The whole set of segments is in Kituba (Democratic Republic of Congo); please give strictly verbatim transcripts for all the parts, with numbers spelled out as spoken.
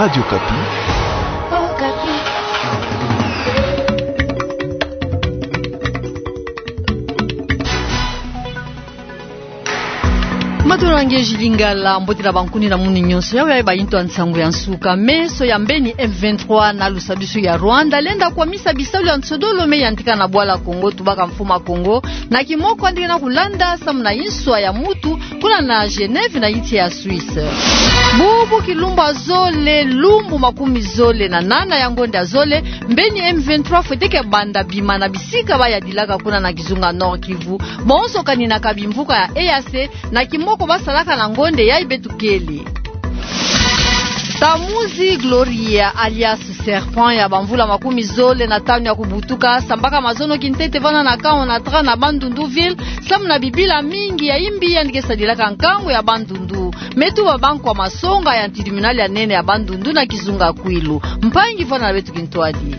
Radio Okapi. Matondo na nge Jules Lingala, mbote na bankuni na munu nyonso. Yawe ya bayintu ya nsangu ya nsuka. Meso ya mbeni M vingt-trois na lusadusu ya Rwanda lenda kwamisa bisalu ya nsodolo me yantika na bwala Kongo, tubaka mfumu a Kongo na kimoko andi kena kulanda samu na inswa ya mutu kuna na Genève na insi ya Suisse. Bubu kilumbu ya zole, lumbu makumi zole na nana ya ngonda ya zole, mbeni M vingt-trois fwete ke banda bima na bisika bayadilaka kuna na kizunga Nord-Kivu, bonso kaninaka bimvuka ya E A C, na kimoko basalaka na ngonda yayi beto kele. Tamuzi Gloria alias Serpent ya bamvula makumi zole na tanu ya kubutuka, sambaka mazono kintete vana na camp Onatra na Bandundu ville, samu na bibila mingi ya imbi yandi ke sadilaka nkangu ya Bandundu. Me tuba bankwa masonga ya tribunal ya nene ya Bandundu na kizunga Kwilu. Mpangi, vana na beto kintwadi.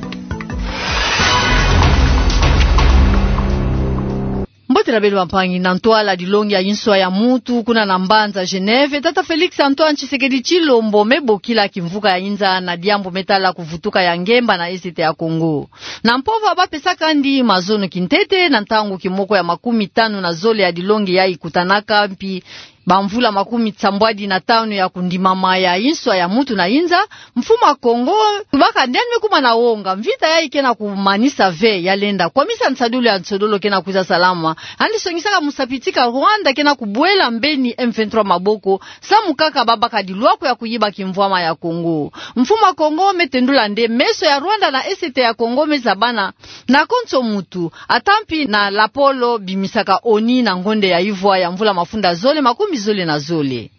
Mbote na beno bampangi. Na ntwala dilongi ya inswa ya mutu kuna na mbanza Genève, tata Félix Antoine Tshisekedi Tshilombo me bokila kimvuka ya inza na diambu me tala kuvutuka ya ngemba na Est ya Congo. Na mpova bapesaka ndi mazono kintete na ntangu kimoko ya makumi tanu na zole ya dilongi yayi kutanaka mpi bamvula makumi sambwadi na tanu ya kundimama ya inswa ya mutu na inza, mfumu a Kongo tubaka nde andi me kuma na wonga mvita yayi kena kumanisa ve, ya lenda kwamisa nsadulu ya nsodolo kena kwiza salama. Andi songisaka musapi tika Rwanda kena kubwela mbeni M vingt-trois maboko, samu kaka babaka dilwaku ya kuyiba kimvwama ya Kongo. Mfumu a Kongo me tendula nde meso ya Rwanda na Est ya Congo me zabana na konso mutu, ata mpi na lapolo bimisaka ONU na ngonda ya ivwa ya mvula mafunda zole makumi zole na zole.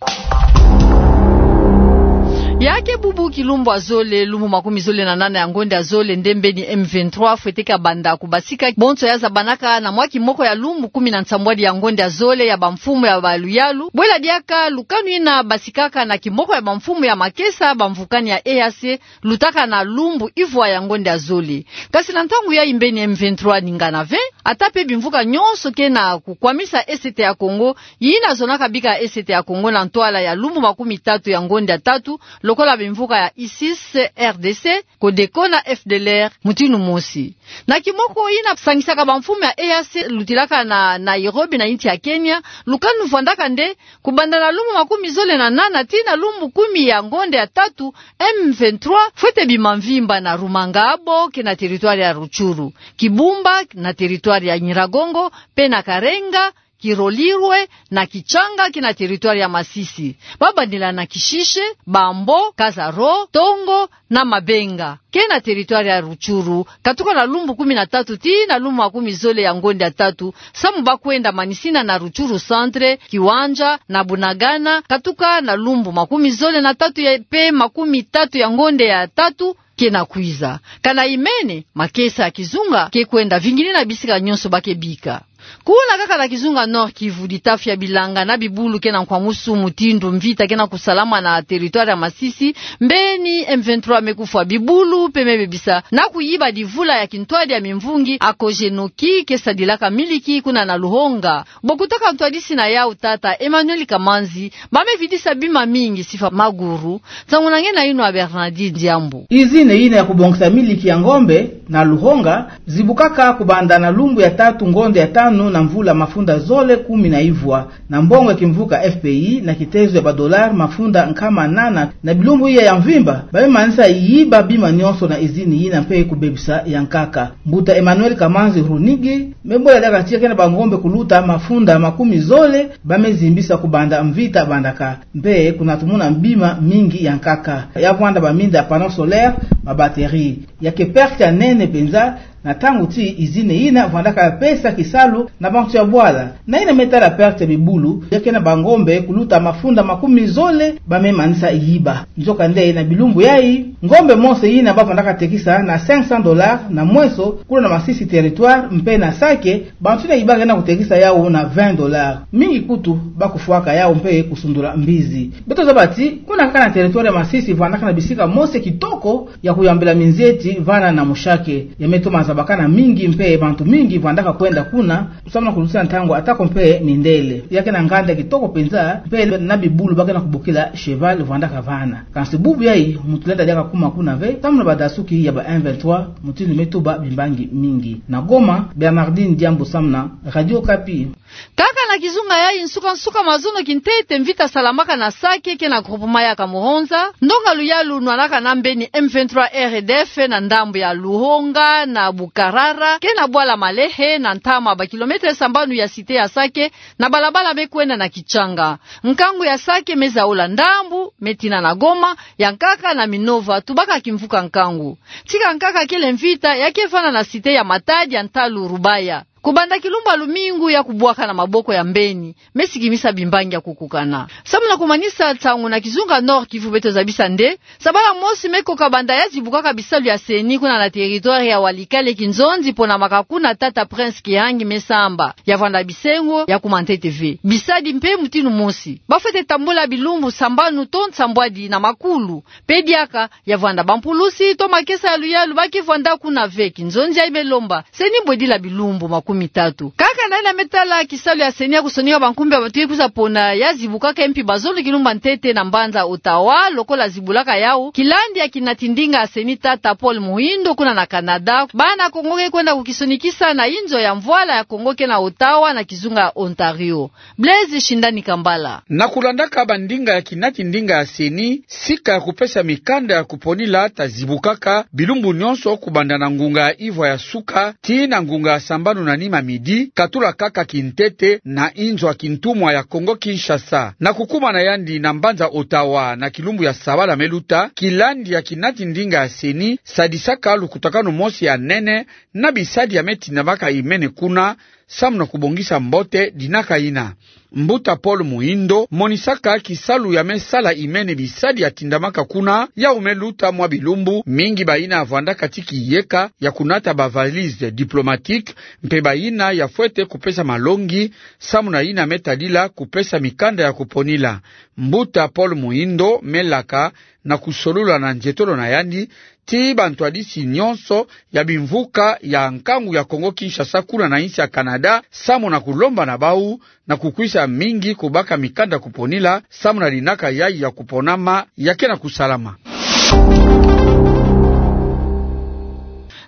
Ya ke bubu kilumbu ya zole, lumbu makumi zole na nana ya ngonda ya zole, nde mbeni M vingt-trois fwete kabanda kubasika bonso ya zabanaka na mwa kimoko ya lumbu kumi na nsambwadi ya ngonda ya zole ya bamfumu ya baluyalu, bwela diaka lukanu ina basikaka na kimoko ya bamfumu ya makesa bamvukani ya E A C, lutaka na lumbu ivwa ya ngonda ya zole. Kasi na ntangu yayi mbeni M vingt-trois ningana ve, ata mpe bimvuka nyonso kena kukwamisa Est ya Congo, yina zonaka bika Est ya Congo na ntwala ya lumbu makumi tatu ya ngonda ya tatu, lokola bimvuka ya ISIS, R D C, Codeco na F D L R, mutindu mosi. Na kimoko yina sangisaka bamfumu ya E A C lutilaka na Nairobi na insi ya Kenya, lukanu vwandaka nde kubanda na lumbu makumi zole na nana tii na lumbu kumi ya ngonda ya tatu, M vingt-trois fwete bima mvimba na Rumangabo, kena territoire ya Rutshuru, Kibumba, na territoire ya Nyiragongo, mpe na Karenga, Kirolirwe na Kitshanga, kena territoire ya Masisi. Babandila na Kishishe, Bambo, Kazaro, Tongo na Mabenga, kena territoire ya Rutshuru, katuka na lumbu kumi na tatu tii na lumbu makumi zole ya ngonda ya tatu, samu bakwenda manisina na Rutshuru Centre, Kiwanja na Bunagana, katuka na lumbu makumi zole na tatu ya, mpe makumi tatu ya ngonda ya tatu kena kwiza. Kana imene, makesa ya kizunga ke kwenda vingini na bisika nyonso ba ke bika. Kuna kaka na kizunga Nord-Kivu, ditafi ya bilanga na bibulu kena nkwamusu mutindu mvita kena kusalama na territoire ya Masisi, mbeni M vingt-trois me kufwa bibulu mpe me bebisa na kuyiba divula ya kintwadi ya mimvungi Akojenoki ke sadilaka miliki kuna na Luhonga. Bo kutaka ntwadisi na yau tata Emmanuel Kamanzi, ba me vidisa bima mingi sifa maguru. Nsangu na nge na yinu ya Bernardine Diambu. Izine yina ya kubongisa miliki ya ngombe na Luhonga zibukaka kubanda na lumbu ya tatu ngonda ya tanu na mvula mafunda zole kumi na ivwa, na mbongo ya kimvuka F P I na kitezo ya ba dollars mafunda nkama nana. Na bilumbu iya ya mvimba, ba me manisa yiba bima nyonso na izine yina mpe kubebisa ya nkaka. Mbuta Emmanuel Kamanzi Runigi me bwela diaka tii kena bangombe kuluta mafunda makumi zole ba me zimbisa kubanda mvita bandaka, mpe kuna tumona bima mingi ya nkaka. Ya vwanda baminda ya panneau solaire, ba batterie. Ya ke perte ya nene mpenza, na ntangu tii izine yina vwandaka ya pesa kisalu na bantu ya bwala. Na yina me tala perte ya bibulu, ya kena bangombe kuluta mafunda makumi zole ba me manisa yiba. Nzokande na bilumbu yayi, ngombe mosi yina ba vandaka tekisa na cinq cents dollars na mweso, kuna na Masisi territoire, mpe na Sake, bantu yina yibaka na kutekisa yau na vingt dollars. Mingi kutu ba kufwaka yau mpe kusundula mbizi. Beto zaba tii, kuna kaka na territoire ya Masisi vandaka na bisika mosi kitoko ya kuyambila minzeti vana na mushake. Ya me toma Babakana mingi mpe bantu mingi vwandaka kwenda kuna, samu na kuluta ntangu atako mpe mindele. Ya ke na nganda kitoko mpenza, mpe na bibulu ba ke na kubokila cheval vwandaka vana. Kansi bubu yayi, muntu lenda diaka kuma kuna ve, samu na badasuki ya ba M vingt-trois, mutindu me tuba bimbangi mingi. Na Goma, Bernardine Diambu samu na Radio Okapi. Kaka na kizunga yayi, nsuka-nsuka mazono kintete mvita salamaka na Sake, ke na groupement ya Kamuhunza, ndonga luyalu nwanaka na mbeni M vingt-trois R D F na ndambu ya Luhonga na Bukarara, ke na bwala Malehe, na ntama ba kilomètre sambanu ya cité ya Sake, na balabala me kwenda na Kitshanga. Nkangu ya Sake me zaula ndambu, me tina na Goma, ya nkaka na Minova, tubaka kimvuka nkangu. Tika nkaka kele mvita, ya ke vana na cité ya Matadi ya ntalu Rubaya. Kubanda kilumbu ya lumingu ya kubwaka na maboko ya mbeni, me sikimisa bimbangi ya kukukana. Samu na kumanisa nsangu na kizunga Nord-Kivu, beto zabisa nde, sabala mosi me koka banda ya zibukaka bisalu ya CENI kuna na territoire ya Walikale, kinzonzi pona makakuna tata Prince Kihangi me samba, ya vwanda bisengo ya kuma ntete ve. Bisadi mpe mutindu mosi. Ba fwete tambula bilumbu sambanu to nsambwadi na makulu. Mpe diaka, ya vwanda bampulusi to makesa ya luyalu ba ke vwanda kuna ve, kinzonzi yayi me lomba CENI bwedila bilumbu makumi tatu. Kaka na yina me tala kisalu ya CENI ya kusonika bankumbu ya bantu ya kwiza pona ya zibukaka mpi bazono kilumbu ya ntete na mbanza Ottawa, lokola zibulaka yawu kilandi ya kinati ndinga ya CENI tata Paul Muhindo kuna na Canada. Bana Kongo ke kwenda kukisonikisa na inzo ya mvwala ya Kongo ke na Ottawa na kizunga ya Ontario. Blaise Shindani Kambala. Na kulandaka bandinga ya kinati ndinga ya CENI, sika ya kupesa mikanda ya kuponila ta zibukaka bilumbu nyonso kubanda na ngunga ya ivwa ya suka tii na ngunga ya sambanu na nima midi, katula kaka kintete na inzo ya kintumwa ya Kongo Kinshasa. Na kukuma na yandi na mbanza Ottawa na kilumbu ya sabala me luta, kilandi ya kinati ndinga ya CENI sadisaka lukutakanu mosi ya nene na bisadi ya me tindamaka imene kuna, samu na kubongisa mbote dinaka yina. Mbuta Paul Muhindo monisaka kisalu ya me sala imene bisadi ya tindamaka kuna, yawu me luta mwa bilumbu mingi bayina vwandaka ti kiyeka ya kunata ba valise diplomatique, mpe bayina ya fwete kupesa malongi, samu na yina me tadila kupesa mikanda ya kuponila. Mbuta Paul Muhindo me laka na kusolula na nzietolo na yandi ti bantwadisi nyonso ya bimvuka ya nkangu ya Kongo Kinshasa kuna na insi ya Canada, samu na kulomba na bawu na kukwisa mingi kubaka mikanda kuponila, samu na dinaka yayi ya kuponama ya ke na kusalama.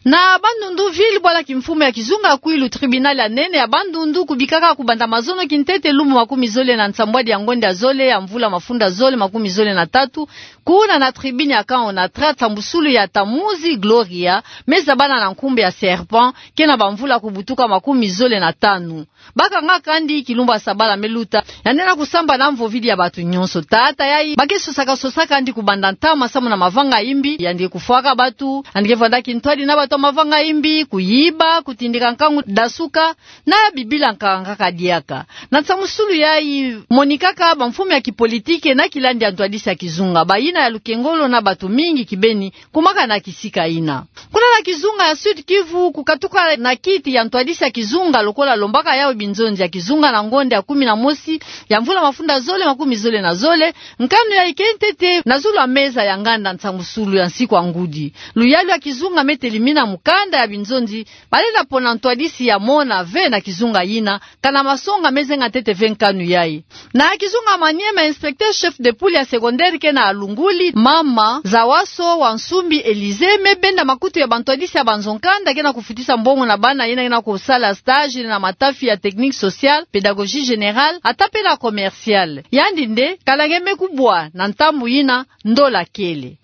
Na Bandundu ville, bwala kimfumu ya kizunga Kwilu, tribunal ya nene ya Bandundu kubikaka kubanda mazono kintete lumbu makumi zole na nsambwadi ya ngonda ya zole ya mvula mafunda zole makumi zole na tatu, kuna na tribune ya Kaonatra, nsambusulu ya Tamuzi Gloria me zabana na nkumbu ya Serpent, ke na bamvula kubutuka makumi zole na tanu. Bakanga kandi kilumbu ya sabala me luta, yandi na kusamba na mvovidi ya bantu nyonso. Tata yayi ba ke sosaka, sosaka yandi kubanda ntama samu na mavanga imbi, yandi kufwaka bantu, yandi ke vwanda kintwadi na bantu ya mavanga imbi, kuyiba, kutindika nkangu dasuka, na bibila nkaka diaka. Na nsamusulu yayi monikaka bamfumu ya kipolitike na kilandi ya ntwadisi ya kizunga, bayina ya lukengolo na bantu mingi kibeni, kumakana kisika yina. Kuna na kizunga ya Sud-Kivu, kukatuka na kiti ya ntwadisi ya kizunga lokola lombaka yawu binzonzi ya kizunga na ngonda ya kumi na mosi ya mvula mafunda zole makumi zole na zole, nkanu yayi ke ntete na zulu ya meza ya nganda nsamusulu ya nsiku ya ngudi. Luyalu ya kizunga me telimina mukanda ya binzonzi, balenda pona ntwadisi ya mona ve na kizunga yina, kana masonga me zenga ntete ve nkanu yayi. Na kizunga Maniema, inspecteur chef de poule ya secondaire ke na Alunguli, mama Zawaso wa Nsumbi Elise, me benda makutu ya bantwadisi ya banzo nkanda ke na kufutisa mbongo na bana yina ke na kusala stage na matafi ya technique sociale, pédagogie générale, ata pe na commerciale. Yandi nde, kana nge me kubwa na ntambu yina, ndola kele.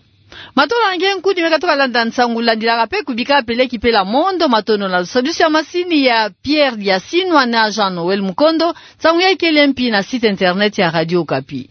Matondo na nge nkudi me katuka landa nsangu, landilaka pe kubika peleki pe la mondo. Matondo na lusadusi ya masini ya Pierre Diasinwa na Jean Noël Mukondo. Nsangu yayi kele mpi na site internet ya Radio Okapi.